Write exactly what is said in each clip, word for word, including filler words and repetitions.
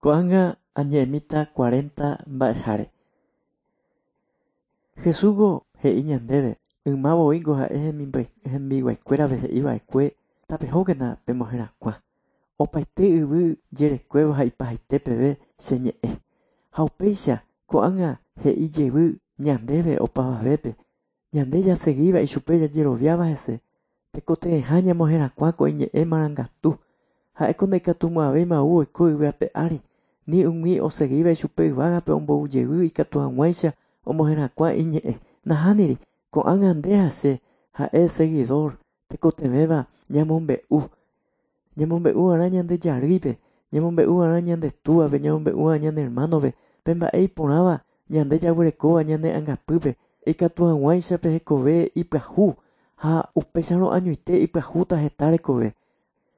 Ko'ág̃a añe'ẽmíta cuarenta mba'eháre. Jesús he'i ñandéve ymavoíngo ha'e hembiguaikuérape he'iva'ekue tapehókena pemoherakuã. Opaite yvy jerekuévo ha ipahaite peve che ñe'ẽ. Ha upéicha ko'ág̃a he'i jevy ñandéve opavavépe. Ñande jaseguíva ichupe jajeroviáva hese. Tekotevẽha ñamoherakuã ko iñe'ẽ marangatu. Ha'éko ndaikatumo'ãvéima ou oiko yvy ape ári. Ni umi oseguíva ichupe yvágape omboujevy ikatu hag̃uáicha omoherakuã iñe'ẽ. Nahániri ko'ág̃a nde ha che ha'e seguidor tekotevẽva ñamombe'u. Ñamombe'u'arã ñande jarýipe, ñamombe'u'arã ñande túvape, ñamombe'u'arã ñane hermanope, pe mba'e iporãva ñande jaguerekóva ñane angapýpe ikatu hag̃uáicha pe hekove ipyahu ha upéicharõ añoite ipyahúta heta rekove.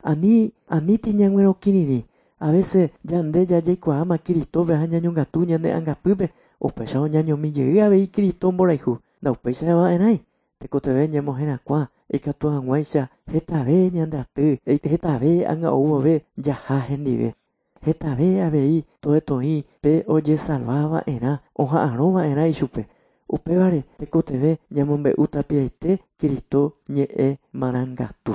Ani aníti ñag̃uerõkirirĩ. A veces ñande jajeikuaáma Cristope ha ñañongatu ñane angapýpe upéicharõ ñañomijey avei Cristo mborayhu. Ndaupéichava'erãi tekotevẽ ñamoherakuã ikatu hag̃uáicha hetave ñande aty, hetave ág̃a oúvove jaha hendive. Hetave avei toetoĩ pe ojesalvava'erã oha'arõva'erã ichupe. Upévare tekotevẽ ñamombe'u tapiaite Cristo ñe'ẽ marangatu.